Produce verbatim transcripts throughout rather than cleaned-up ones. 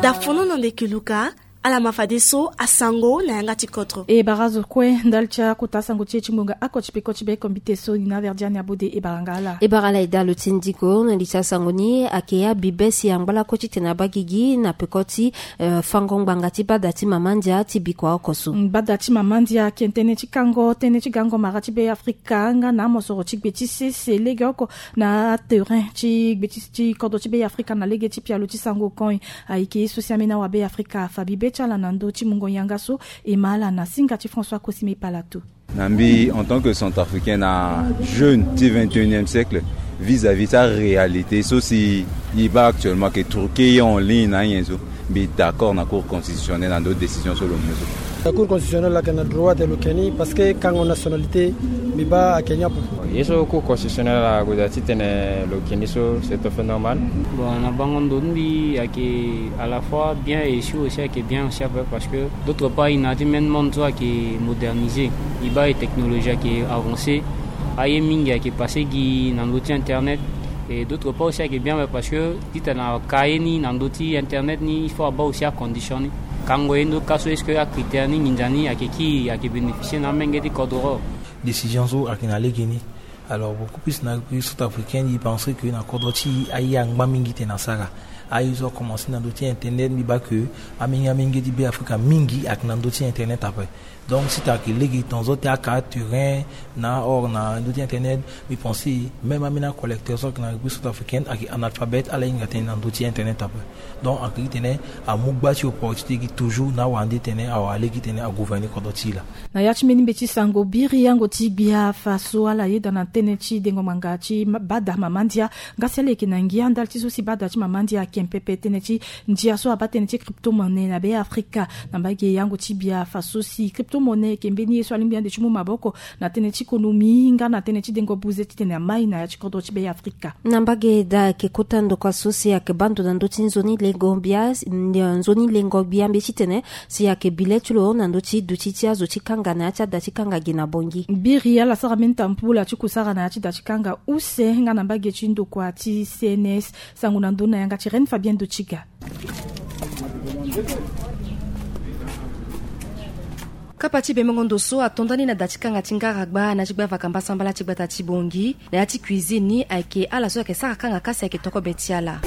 Da fono na ndeke luka. Ala ma fadeso asango na yanga ti kodro. E bara zo kue ndali ti akota sango ti e ti ngbonga oko ti peko ti be kombite so ni na verdiani abode e bara nga ala. E bara ala e dalo ti ndiko na li ti asango ni ayeke abibe si angba lakue titene abaa gigi na peko ti eh, fango ngbanga ti bada ti mama ndia ti bikua oko so. Mm, bada ti mama ndia ayeke tënë ti kango tënë ti gango mara ti be afrika nga na amosoro ti gbe ti sese legeoko na terrain ti gbe ti ti kodro ti be afrika na lege ti pialo ti sango koi. Ayeke ye so si ambeni awabe afrika afa bibe ti ala na ndö ti mungo yanga so e ma ala na singa ti françois cosime palato. Na mbi en tant que centrafricain na jeune ti vingt et unième siècle vis-à-vis ti aréalité so si e baa actuellement ayeke truqué e en ligne na anyen so. Mbi d'accord na cour constitutionnelle na ndö décision so lo mu so. La cour constitutionnelle ayeke na droit te lo keni parce que kango nationalité mbi baa ayeke ni ape. Ye so cour constitutionnelle ague daa titene lo keni so c'est tout à fait normal. Bon, na bango ndo ti mbi ayeke à la fois bien et sûr aussi ayeke bien aussi ape parce que d'autre part e na ya ti même monde so ayeke modernisé. E baa e technologie ayeke avancé. Aye mingi ayeke passé gi na ndö ti internet. Et d'autre part aussi ayeke bien ape parce que titene aka ye ni na ndö ti internet ni il faut abaa aussi acondition ni. Kango ye ndo ka so est-ce que acritère ni nginza ni ayeke kii ayeke bénéficier na amenge ti kodro. Décision so ayeke na lege ni. Alors beaucoup plus na centrafricain e pense que na kodro ti e aye angba mingi titene asara. Aye so akomanse na ndö ti internet mbi baa que amenge amenge ti be afrika mingi ayeke na ndö ti internet ape. Donc si tene ayeke lege temps so tene aka terrain na or na ndö ti internet mbi pense même ambeni acollecteur so ayeke na république centrafricaine ayeke analphabète ala hinga tënë na ndö ti internet ape. Donc ayeke gi titene amu gba ti opportunité gi toujours na awara nde titene awara lege titene agouverner kodro ti e laa. Na ya ti mbeni mbeti sango biri yango ti gbia fa so ala yeda na tënë ti dengo ngbanga ti bada mama ndia. Nga si ala yeke na ngia ndali ti so si bada ti mama ndia ayeke mpepe tënë ti ndia so abaa tënë ti crypto-monnaie na be afrika. Na mbage yango ti gbia fa so si crypto-monnaie ayeke mbeni ye so alingbi ande ti mu maboko na tënë ti konomi nga na tënë ti dengo buze titene amai na ya ti kodro ti be afrika. Na mbage daa ayeke kota ndokua so si ayeke baa ndo na ndö ti nzoni lengo gbia. Nzoni lengo gbia mbi titene si ayeke bi le ti lo na ndö ti duti ti azo ti kanga na ya ti ada ti kanga gi na bongi. Biri ala sara mbeni tambula ti kusara na ya ti da ti kanga use nga na mbage ti ndokua ti cns. Sango na ndö na yanga ti reine fabien ndo ti ga. Kapa ti bemengo ndo so ato ndani na da ti kanga ti ngaragba na ti gba vakamba sambala ti gbata ti bongi na ya ti cuisine ni ayeke ala so ayeke sara kanga kasi ayeke tokobe ti ala.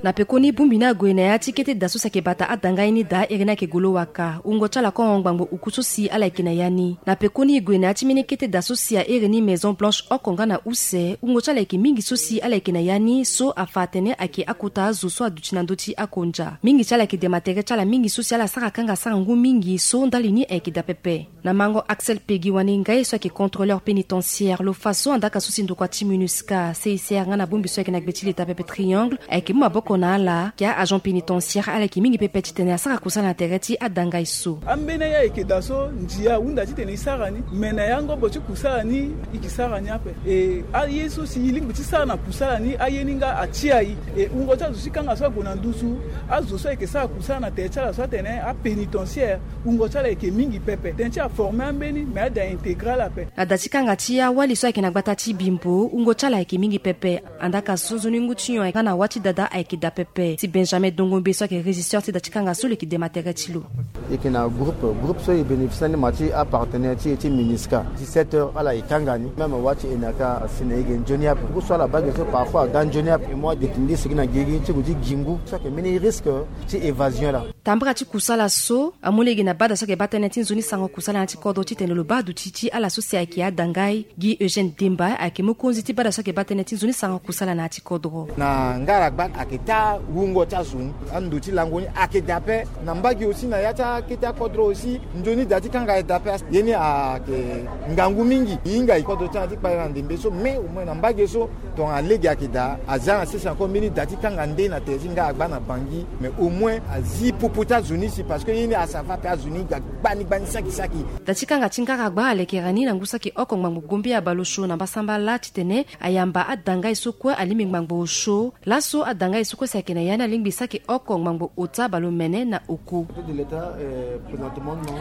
Na pekoni bongbi ni ague na ya ti kete da so si ayeke bata adangai ni daa ere ni ayeke golo waka wungo ti ala kongo ngbangbo uku so si ala yeke na ya ni. Na pekoni e gue na ya ti mbeni kete da so si ahere ni maison blanche oko nga na use wungo ti ala yeke mingi so si ala yeke na ya ni so afa atene ayeke akota azo so aduti na ndö ti akonja mingi ti ala yeke dema tere ti ala mingi so si ala sara kanga sara ngu mingi so ndali ni ayeke daa pepe. Na mango axel pegi waninga ye so ayeke contrôleur pénitentiaire lo fa so andaka so si ndokua ti minusca cicr nga na bongbi so ayeke na gbe ti leta pepe triangle ayeke mu maboko na ala ke a-agent pénitentiaire ala yeke mingi pepe titene asara kusala na tere ti adangai so. Ambeni aye ayeke daa so ndia ahunda titene e sara ni me na yango bo ti kusala ni e ke sara ni ape. E aye so si e lingbi ti sara na kusala ni aye ni nga atia e. E wungo ti azo ti kanga so ague na nduzu azo so ayeke sara kusala na tere ti ala so atene apénitentiaire wungo ti ala ayeke mingi pepe tënë ti aforme ambeni me ada intégral ape. Na da ti kanga ti awali so ayeke na gbata ti bimbo wungo ti ala ayeke mingi pepe. Andaka so nzoni ngu ti nyon nga na wâ ti dada ayeke daa pepe si benjamin dongombe so ayeke régisseur ti da ti kanga so lo yeke dema tere ti lo. E yeke na groupe groupe so e bénéficie ni ma ti apartenaire ti e ti minusca dix-sept heures ala e kanga ni même wâ ti enaka asi na e ge nzoni ape ngu so ala baa ge so parfois aga nzoni ape e mu adeti nde sigi na gigi ti gue ti gi ngu so ayeke mbeni risque ti évasion laa. Tambara ti kusala so amu lege na bada so ayeke baa tënë ti nzoni sango kusala na ya ti kodro titene lo baa aduti ti ala so si ayeke adangai gi eugène demba ayeke mokonzi ti bada so ayeke baa tënë ti nzoni sango kusala na ya ti kodro. Na ngaragba ayeke taa wungo ti azo ni ando ti lango ni ayeke daa ape. Na mbage aussi na ya ti akete akodro aussi nzoni da ti kanga ayeke daa ape. Ye ni ayeke ngangu mingi e hinga kodro ti ala ti kpale na ndembe so mais au moins na mbage so tongana lege ayeke daa aza na sese encore mbeni da ti kanga nde na tere ti ngaragba na bangi mais Au moins azi popo ti azo ni si, parce que ye ni asava pe azo ni ga gbani gbani saki saki. Da ti kanga ti ngara gba alekere ni na ngu saki oko ngbangbo gombe abale osio na mbasambala titene ayamba adangai so kue alingbi ngbangbo osio. Laso adangai so kue si ayeke na ya ni alingbi saki oko ngbangbo ota bale omene na oko.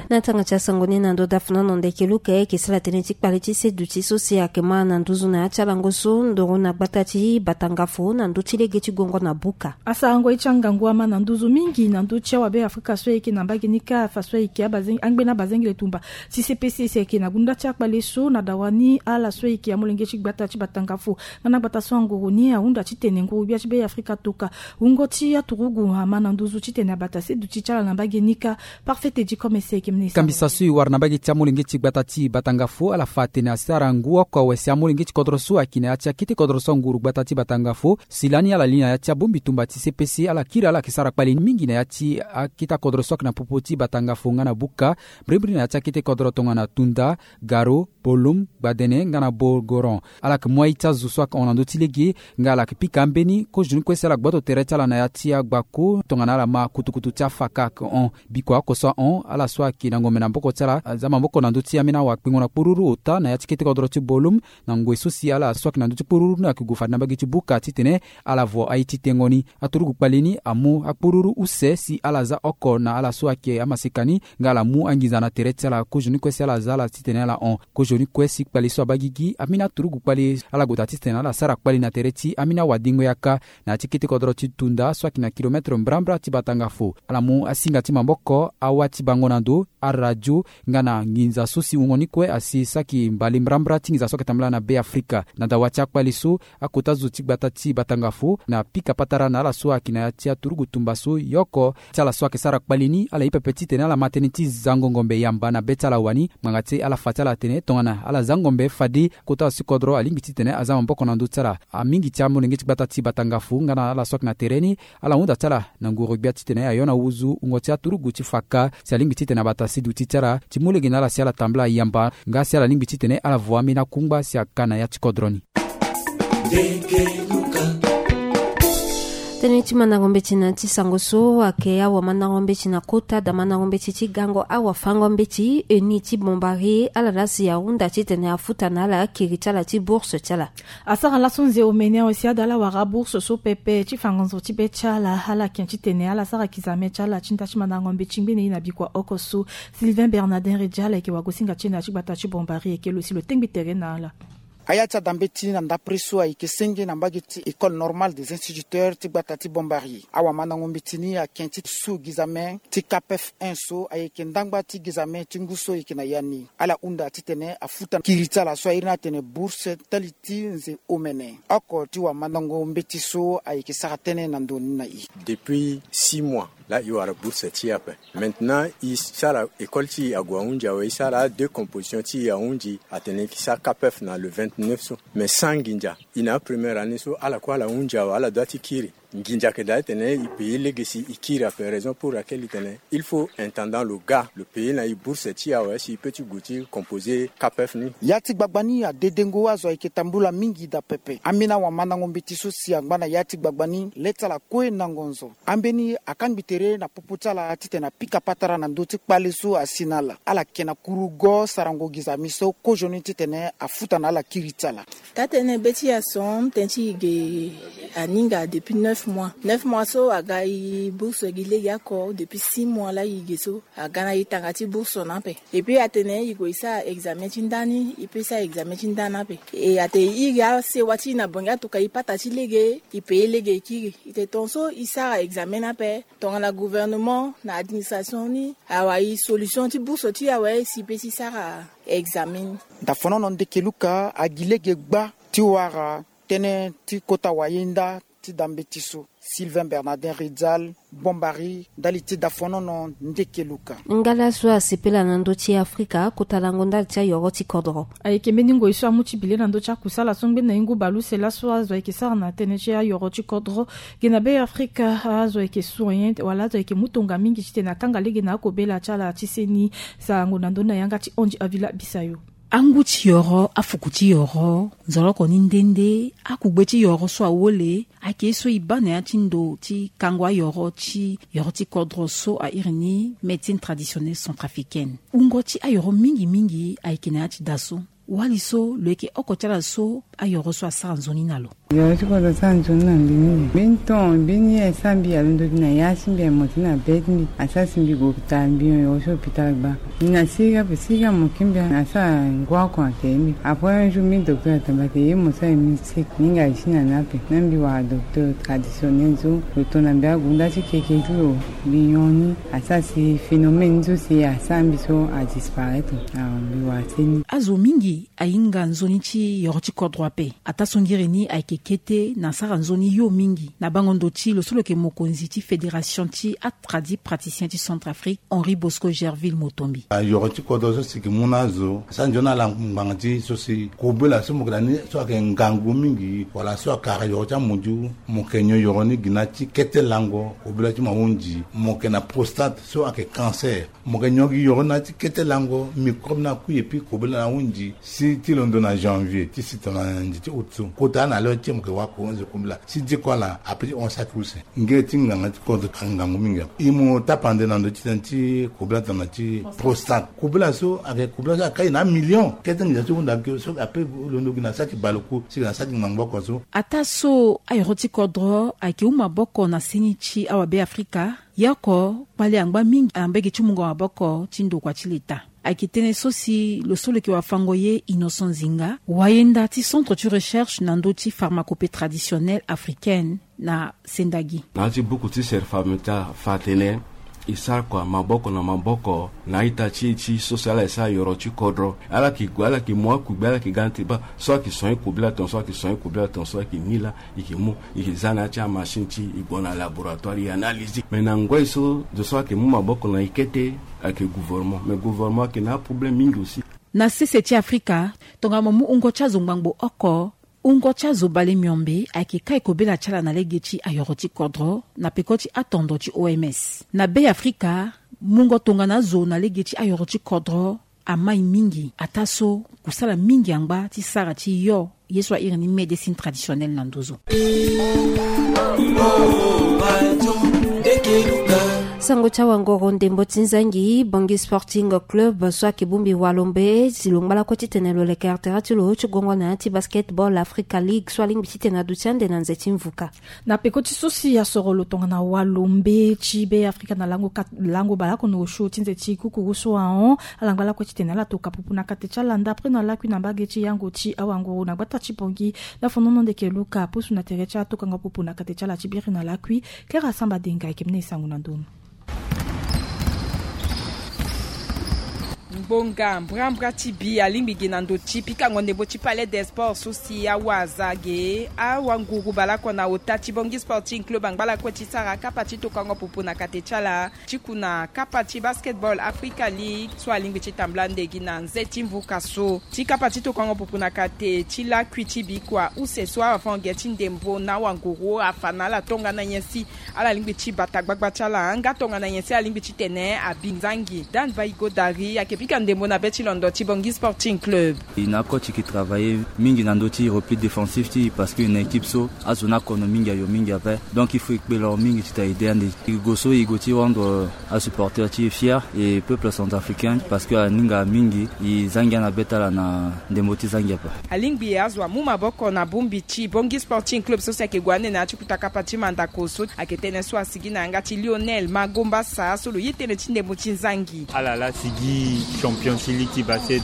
Na tanga ti asango ni na ndo dafuna na ndeke luka eke sala tënë ti kpale ti seduti so si ayeke ma na nduzu na ya ti alango so ndoro na gbata ti batangafo na ndö ti lege ti gongo na buka. Asarango ye ti angangu ama na nduzu mingi na ndö ti awabe afrika so ayeke na mbage ni kâ afa so ayeke abazeng- angbeni abazengele tumba ti C P C si ayeke na gunda ti akpale so na dawa ni ala so ayeke amolenge ti gbata ti batangafo. Nga na gbata so angoro ni ahunda titene nguru-gbia ti be afrika toka wungo ti aturugu ama na nduzu titene abata seduti ti ala na mbage ni kâ. Parfait edi comme ese ayeke mene kambisa so e wara na mbage ti amolenge ti gbata ti batangafo ala fa atene asara ngu oko awe si amolenge ti kodro so ayeke na ya ti akete kodro so anguru gbata ti batangafo si lani ala li na ya ti abongbi tumba ti C P C ala kiri ala yeke sara kpale mingi na ya ti akete akodro so ayeke na popo ti batangafo nga na buka, mbrimbri na ya ti akete kodro tongana tunda, garo, bolum, gbadene nga na bogoron. Ala yeke mu aye ti azo so ayeke hon na ndö ti lege nga ala yeke pika ambeni kozoni kue si ala gboto tere ti ala na ya ti agbako tongana ala ma kutukutu ti afaka ayeke hon. Biko oko so ahon ala so ayeke na ngombe na maboko ti ala aza maboko na ndö ti ambeni awa kpengo na kpururu ota na ya ti kete kodro ti bolum. Na ngoi so si ala so ayeke na ndö ti kpururu ni ayeke gue fade na mbage ti buka titene ala vo aye ti tengo ni. Aturugu kpale ni amu akpururu use si ala za oko na ala so ayeke amaseka ni nga ala mu anginza na tere ti ala kozoni kue si ala za ala titene ala hon. Kozoni kue si kpale so abaa gigi ambeni aturugu kpale ala gota titene ala sara kpale na tere ti ambeni awadengo yaka na ya ti kete kodro ti tunda so ayeke na kilometre mbrambra ti batangafo. Ala mu asinga ti maboko, awa ti bango na ndo, aradio nga na nginza so si wungo ni kue asi saki mbale mbrambra ti nginza so ayeke tambula na be afrika. Na dawa ti akpale so akota zo ti gbata ti batangafo na pika patara na ala so ayeke na ya ti aturugu tumba so yo oko ti ala so ayeke sara kpale ni ala ye pepe titene ala ma tënë ti zango ngombe yamba na be ti ala wani ngbanga ti ala fa ti ala atene tongana ala za ngombe fade kota zo ti kodro alingbi titene aza maboko na ndö ti ala. Amingi ti amolenge ti gbata ti batangafo nga na ala so ayeke na tere ni ala hunda ti ala na nguru-gbia titene ayo na wuzu wungo ti aturugu ti fa kâ si alingbi titene abata siduti ti ala ti mu lege na ala si ala tambula yamba nga si ala lingbi titene ala vo ambeni akungba si aka na ya ti kodro ni. Tënë ti mandango mbeti na ti sango so ayeke awamandango mbeti na kota da mandango mbeti ti gango awafango mbeti eni ti bombari ala laa si ahunda titene afuta na ala akiri ti ala ti bourse ti ala. Asara laso nze omene awe si ada ala wara bourse so pepe ti fa ngonzo ti be ti ala ala ken titene ala sara kizame ti ala ti nda ti mandango mbeti ngbene ye na bikua oko so. Sylvain Bernardin Redja ala yeke wagosinga ti e na ya ti gbata ti bombari ayeke lo si lo tengbi tere na ala. Aya ti adambeti na ndapre so ayeke senge na mbage ti école normale des instituteurs ti gbata ti bombari. Awamandango mbeti ni aken ti su gizame ti capef un so ayeke ndangba ti gizame ti ngu so ayeke na ya ni. Ala hunda titene afuta kiri ti ala so airi ni atene bourse tali ti nze omene. Oko ti wamandango mbeti so ayeke sara tënë na ndo ni na e. Depuis six mois la e wara bourse ti e ape. Maintenant e sara école ti e ague ahunzi awe e sara adeux composition ti e ahunzi atene e ke sara capef na le vingt-neuf so. Mais sans nginza. E na apremière année so ala kue ala hunzi awe ala dua ti kiri. Nginza ayeke daa titene e paye lege si e kiri ape raison pour laquelle e tene il faut intendant lo ga lo paye na e bourse ti e awe si e peut ti gue ti composer capef ni. Ya ti gbagba ni adedengo azo ayeke tambula mingi daa pepe. Ambeni awamandango mbeti so si angba na ya ti gbagba ni le ti ala kue na ngonzo. Ambeni akangbi tere na popo ti ala titene apika patara na ndö ti kpale so asi na ala. Ala yeke na kurugo sarango gizami so kozoni titene afuta na ala kiri ti ala. Taa-tënë be ti e ason tënë ti e ge aninga depuis neuf mois. Neuf mois so aga e bourse gi lege oko depuis six mois la e ge so aga na e tanga ti bourse na ape. Epui atene e gue e sara examen ti nda ni e peut sara examen ti nda ni ape. E atene e iri asewa ti e na bongi atuka e pata ti lege e paye lege e kiri. E tene tongaso e sara examen ni ape tongana gouvernement na administration ni awara e solution ti bourse ti e awe si e peut ti sara examen ni. Dafonono ndeke luka agi lege gba ti wara tënë ti kota wayenda ti dambeti so. Sylvain Bernardin Ridzal, Bombari, ndali ti dafonono ndeke luka. Nga laso asepela na ndö ti Afrika kota lango ndali ti ayoro ti kodro. Ayeke mbeni ngoi so amu ti bile na ndö ti akusala so ngbeni na e ngu bale use laso azo ayeke sara na tënë ti ayoro ti kodro. Ge na be Afrika azo ayeke sourien wala azo ayeke mu tonga mingi titene akanga lege na akobela ti ala ti seni. Sarango na ndö ni na yanga ti Andy Avila Bisayo. Angu ti yoro, afuku ti yoro, nzoloko ni nde nde akugbe ti yoro so awole ayeke ye so e baa na ya ti ndo ti kango ayoro ti yoro ti kodro so a iri ni médecine traditionnelle centrafricaine. Wungo ti ayoro mingi mingi ayeke na ya ti da so. Wali so lo yeke oko ti ala so ayoro so asara nzoni na lo. Yoro ti kodro asara nzoni na mbi mingi. Mbeni ton mbeni ye asara mbi alondo gi na ya ti mbi, aye mo ti na be ti mbi, asara si mbi gue hôpital, mbi hon yoro ti hôpital gbaa. Mbi na sirika ape, sirika mo ki mbi asara ngu oko na tere mbi. Après un jour mbi docteur atamba atene ye mo so aye mbi sirika, mbi hinga ye ti na ni ape. Na mbi wara docteur traditionnel so lo to na mbi agu nda ti keke ti lo. Mbi hon ni asara si phénomène ni so si asara mbi so adisparaître. Awa mbi wara seni. Azo mingi ahinga nzoni ti yoro ti kodro ape. Ataa so ngiri ni ayeke kete na asara nzoni yo mingi na bango ndo ti lo so lo yeke mokonzi ti fédération ti atradi praticien ti Centrafrique, Henri Bosco Gerville Motombi. Ayoro ti kodro so si yeke mu na azo asara nzoni na ala ngbanga ti so si kobela so mo yeke na ni so ayeke ngangu mingi wala so akara yoro ti amunzu, mo yeke nyon yoro ni gi na ti kete lango, kobela ti mo ahunzi, mo yeke na prostate so ayeke cancer. Mo yeke nyon gi yoro na ti kete lango, microbe ni akui epui kobela ni ahunzi. Si ti londo na janvier ti si tongana nze ti août so, kota na lo ti mo yeke wara ko nze kobela si diko ala ape ti hon saki use. Ngere ti nganga ti kodro ayeke ngangu mingi ape. E mo tapande na ndo ti tënë ti kobela tongana ti prostate. Kobela so ayeke kobela so akai na amillion. Kete nginza so e hunda gi so ape londo gi na saki baleku si yeke na saki ngbangbo oko so. Ataa so ayoro ti kodro ayeke mu maboko na seni ti awabe afrika. Ye oko kpale angba mingi na mbage ti mungo maboko ti ndokua ti leta. Ayeke tënë so si lo so lo yeke wafango ye Innocent Zinga, wayenda ti centre ti recherche na ndö ti pharmacopée traditionnelle africaine na sendagi. Na ya ti buku ti Serfameta fa atene e sara kua maboko na maboko na a-ita ti e ti so si ala e sara yoro ti kodro. Ala yeke gue, ala yeke mu akugbe, ala yeke ga na teba so ayeke soigner kobela tongaso, ayeke soigner kobela tongaso, ayeke ni laa. E yeke mu, e yeke za na ya ti amachine ti e, e gue na laboratoire, e analyser. Mais na ngoi so zo so ayeke mu maboko na e kete ayeke gouvernement. Mais gouvernement ayeke na aproblème mingi aussi. Na sese ti afrika, tongana mo mu wungo ti azo ngbangbo oko, wungo ti azo bale miombe ayeke kai kobela ti ala na lege ti ayoro ti kodro na peko ti atondo ti O M S. Na be afrika, mungo tongana azo na lege ti ayoro ti kodro amai mingi, ataa so kusala mingi angba ti sara ti yo ye so a iri ni médecine traditionnelle na nduzu. Sango ti awangoro ndembo ti nzangi, Bangui Sporting Club so ayeke bongbi walombe si lo ngba lakue titene lo leke artera ti lo ti gongo na ya ti Basketball Africa League so alingbi titene aduti ande na nze ti mvuka. Na peko ti so si asoro lo tongana walombe ti be afrika na lango kat-, lango baleoko na osio ti nze ti kukuru so ahon, ala ngba lakue titene ala toka pupu na kate ti ala ndapre na lakui na mbage ti yango ti awanguru na gbata ti Bangui. Na fonono ndeke Luka apusu na tere ti atokango pupu na kate ti ala ti biri na lakui. Kera Samba Denga ayeke mene e sango na ndonu. Ngbonga mbrambra ti bi alingbi gi na ndo ti pikango ndembo ti Palais des Sports so si awaza ge awanguru baleoko na ota ti Bangui Sporting Club angba lakue ti sara kapa ti tokango pupu na kate ti ala ti ku na kapa ti Basketball Africa League so alingbi ti tambula nde gi na nze ti mvuka so. Ti kapa ti tokango pupu na kate ti lakui ti bikua use so avan ge ti ndembo na awanguru afa na ala tongana nyen si ala lingbi ti bata gbagba ti ala nga tongana nyen si alingbi titene abi nzangi. Dan Baigo Dari ayeke pika ndembo na be ti londo ti Bangui Sporting Club. E na oko ti yeke travailler mingi na ndö ti repli défensif ti e parce que e na équipe so azo ni akono mingi ayo mingi ape. Donc il faut e kpe lo mingi ti ta aide ande e go so e go ti rendre asupporter ti e fier e peuple centrafricain parce que aninga mingi e za ngia na be ti ala na ndembo ti za ngia ape. Alingbi azo amu maboko na bongbi ti Bangui Sporting Club so si ayeke gue ande na ya ti kuta kapa ti mandako so ayeke tënë so asigi na yanga ti Lionel Magombasa so lo ye tënë ti ndembo ti nzangi. Ala la sigi champion ti ligue ti basket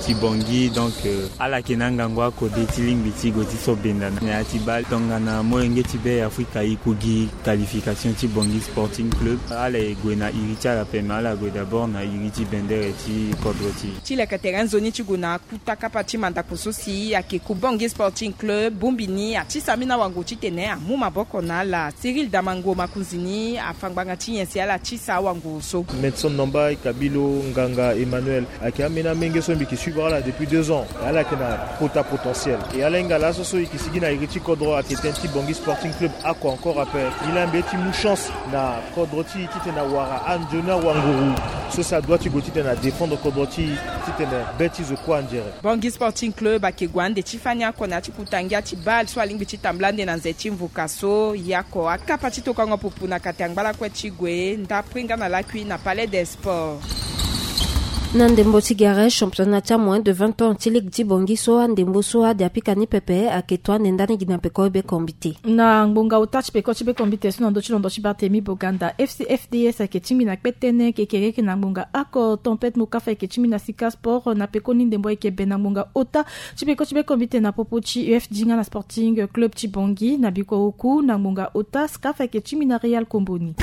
ti Bangui, donc ala yeke na angangu akode ti lingbi ti go ti so benda na ya ti bale tongana molenge ti be afrika e ku gi qualification ti Bangui Sporting Club. Ala e gue na iri ti ala ape me ala gue d'abord na iri ti bendere ti kodro ti e. Ti leke tere nzoni ti gue na kuta kapa ti mandako so si ayeke ku Bangui Sporting Club bongbi ni atisa ambeni awango titene amu maboko na ala. Cyril Damango makonzi ni afa ngbanga ti nyen si ala tisa awango so. Medson Nomba e kabi lo nganga Emmanuel Noël ayeke ameni amenge so mbi yeke suivre ala depuis deux ans. Ala yeke na kota potentiel. E ala hinga laso so e yeke sigi na iri ti kodro ayeke tënë ti Bangui Sporting Club ako encore ape. Mbi la mbi ye ti mu chance na kodro ti e titene awara anzoni awanguru so si adoit ti gue titene adéfendre kodro ti e titene be ti zo kue anzere. Bangui Sporting Club ayeke gue ande ti fani ako na ya ti kuta ngia ti bale so alingbi ti tambula ande na nze ti mvuka so. Ye ako akapa ti tokango pupu na kati ya ngbalakue ti gue ndapui nga na lakui na Palais des Sports. Na ndembo ti gere, championnat ti amoin de vingt ans ti ligue ti Bangui so andembo so ade apika ni pepe ayeke to ande ndani gi na peko ti be kombite. Na ngbonga ota ti peko ti be kombite so na ndö ti londo ti Barthélemy Boganda, F C F D S ayeke tingbi na kpe tënë kekereke na ngbonga ako. Tempête Mokafa ayeke tingbi na Sika Sport na pekoni ndembo ayeke be na ngbonga ota ti peko ti be kombite na popo ti U F D nga na Sporting Club ti Bangui. Na bikua oku na ngbonga ota, Scaf ayeke tingbi na Real Komboni.